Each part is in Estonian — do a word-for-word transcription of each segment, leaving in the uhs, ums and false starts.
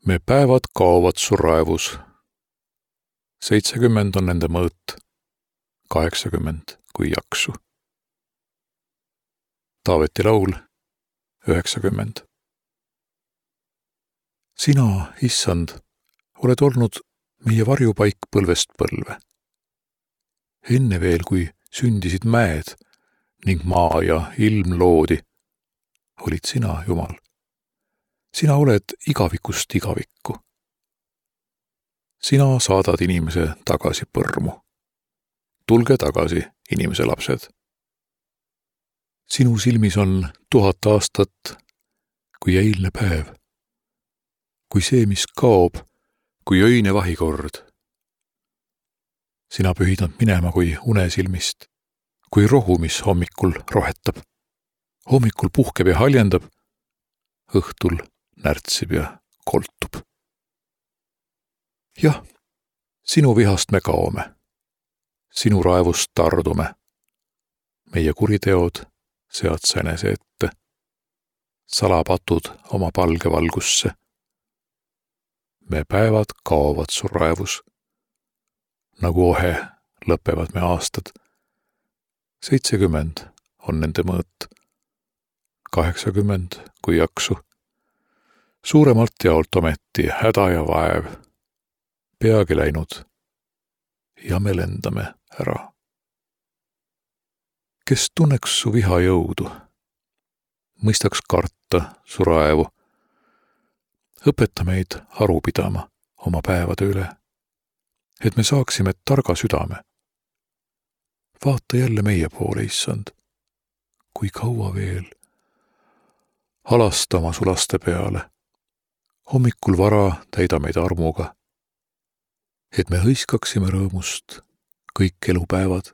Me päevad kaovad su raevus. Seitsekümmend on nende mõõt, kaheksakümmend kui jaksu. Taaveti laul, üheksakümmend. Sina, issand, oled olnud meie varjupaik põlvest põlve. Enne veel, kui sündisid mäed ning maa ja ilm loodi, olid sina, Jumal. Sina oled igavikust igavikku. Sina saadad inimese tagasi põrmu. Tulge tagasi, inimese lapsed. Sinu silmis on tuhat aastat kui eilne päev, kui see, mis kaob, kui öine vahikord. Sina pühidad minema kui unesilmist, kui rohu, mis hommikul rohetab. Hommikul puhkeb ja haljendab, õhtul närtsib ja koltub. Jah, sinu vihast me kaome, sinu raevust tardume. Meie kuriteod sead sa enese ette, salapatud oma palge valgusse. Me päevad kaovad su raevus, nagu ohe lõpevad me aastad. Seitsekümmend on nende mõõt, kaheksakümmend kui jaksu. Suuremalt jaolt ometi häda ja vaev, peagi läinud ja me lendame ära. Kes tunneks su viha jõudu, mõistaks karta su raevu, õpeta meid aru pidama oma päevade üle, et me saaksime targa südame. Vaata jälle meie poole, issand, kui kaua veel. Halasta oma su laste peale. Hommikul vara täida meid armuga, et me hõiskaksime rõõmust kõik elupäevad.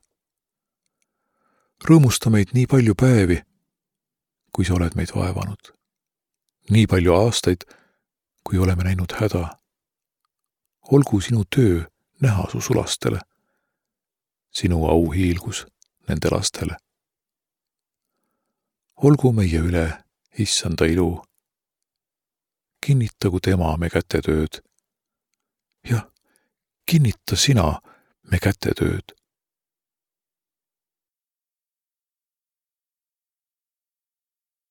Rõõmusta meid nii palju päevi, kui sa oled meid vaevanud. Nii palju aastaid, kui oleme näinud häda. Olgu sinu töö näha su sulastele, sinu au hiilgus nende lastele. Olgu meie üle issanda ilu. Kinnitagu tema me kätetööd. Jah, kinnita sina me kätetööd.